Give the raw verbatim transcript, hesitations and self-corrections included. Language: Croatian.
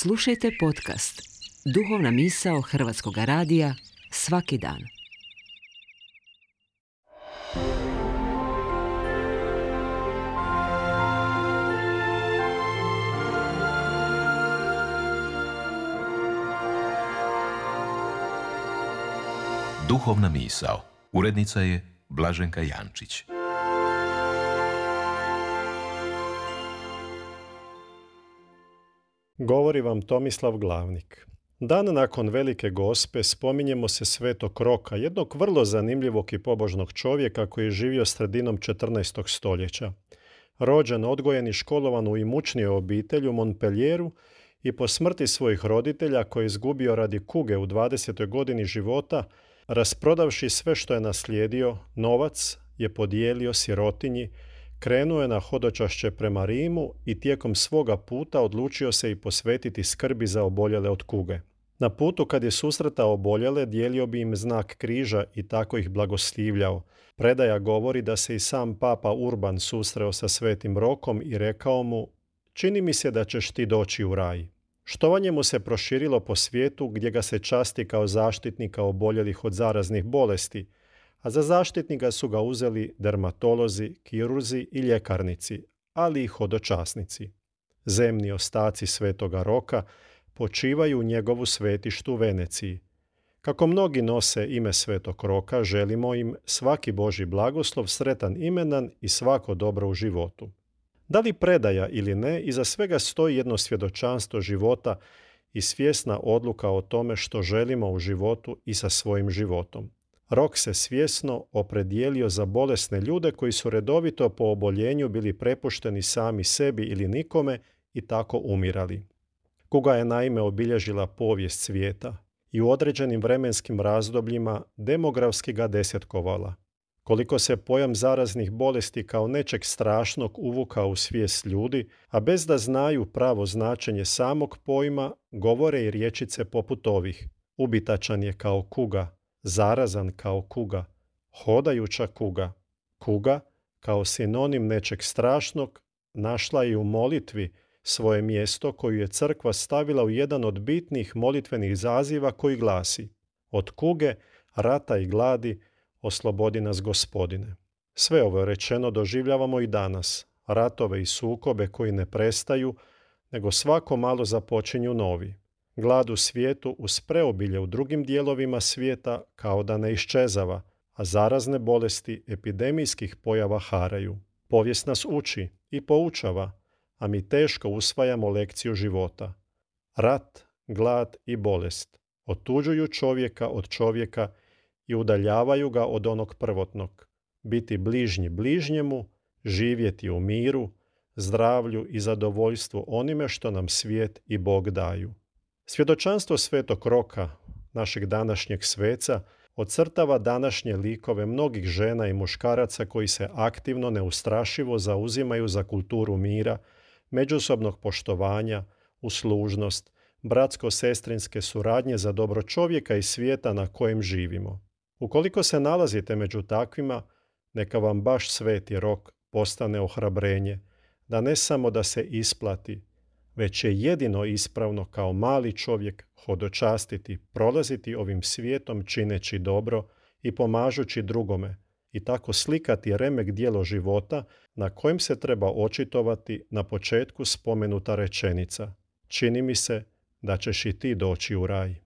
Slušajte podcast Duhovna misao Hrvatskog radija svaki dan. Duhovna misao. Urednica je Blaženka Jančić. Govori vam Tomislav Glavnik. Dan nakon Velike Gospe spominjemo se Svetog Roka, jednog vrlo zanimljivog i pobožnog čovjeka koji je živio sredinom četrnaestog stoljeća. Rođen, odgojen i školovan u imućnijoj obitelji u Montpellieru i po smrti svojih roditelja koje je izgubio radi kuge u dvadesetoj godini života, rasprodavši sve što je naslijedio, novac je podijelio sirotinji, krenuo je na hodočašće prema Rimu i tijekom svoga puta odlučio se i posvetiti skrbi za oboljele od kuge. Na putu kad je susretao oboljele, dijelio bi im znak križa i tako ih blagoslivljao. Predaja govori da se i sam papa Urban susreo sa Svetim Rokom i rekao mu: "Čini mi se da ćeš ti doći u raj." Štovanje mu se proširilo po svijetu gdje ga se časti kao zaštitnika oboljelih od zaraznih bolesti, a za zaštitnika su ga uzeli dermatolozi, kirurzi i ljekarnici, ali i hodočasnici. Zemni ostaci Svetoga Roka počivaju u njegovu svetištu u Veneciji. Kako mnogi nose ime Svetog Roka, želimo im svaki Božji blagoslov, sretan imendan i svako dobro u životu. Da li predaja ili ne, iza svega stoji jedno svjedočanstvo života i svjesna odluka o tome što želimo u životu i sa svojim životom. Rok se svjesno opredijelio za bolesne ljude koji su redovito po oboljenju bili prepušteni sami sebi ili nikome i tako umirali. Kuga je naime obilježila povijest svijeta i u određenim vremenskim razdobljima demografski ga desetkovala. Koliko se pojam zaraznih bolesti kao nečeg strašnog uvukao u svijest ljudi, a bez da znaju pravo značenje samog pojma, govore i riječice poput ovih: ubitačan je kao kuga, zarazan kao kuga, hodajuća kuga. Kuga, kao sinonim nečeg strašnog, našla je u molitvi svoje mjesto koju je crkva stavila u jedan od bitnih molitvenih zaziva koji glasi: od kuge, rata i gladi, oslobodi nas Gospodine. Sve ovo rečeno doživljavamo i danas, ratove i sukobe koji ne prestaju, nego svako malo započinju novi. Glad u svijetu uz preobilje u drugim dijelovima svijeta kao da ne iščezava, a zarazne bolesti epidemijskih pojava haraju. Povijest nas uči i poučava, a mi teško usvajamo lekciju života. Rat, glad i bolest otuđuju čovjeka od čovjeka i udaljavaju ga od onog prvotnog. Biti bližnji bližnjemu, živjeti u miru, zdravlju i zadovoljstvu onime što nam svijet i Bog daju. Svjedočanstvo Svetog Roka, našeg današnjeg sveca, ocrtava današnje likove mnogih žena i muškaraca koji se aktivno, neustrašivo zauzimaju za kulturu mira, međusobnog poštovanja, uslužnost, bratsko-sestrinske suradnje za dobro čovjeka i svijeta na kojem živimo. Ukoliko se nalazite među takvima, neka vam baš Sveti Rok postane ohrabrenje, da ne samo da se isplati, već je jedino ispravno kao mali čovjek hodočastiti, prolaziti ovim svijetom čineći dobro i pomažući drugome i tako slikati remek djelo života na kojem se treba očitovati na početku spomenuta rečenica: čini mi se da ćeš i ti doći u raj.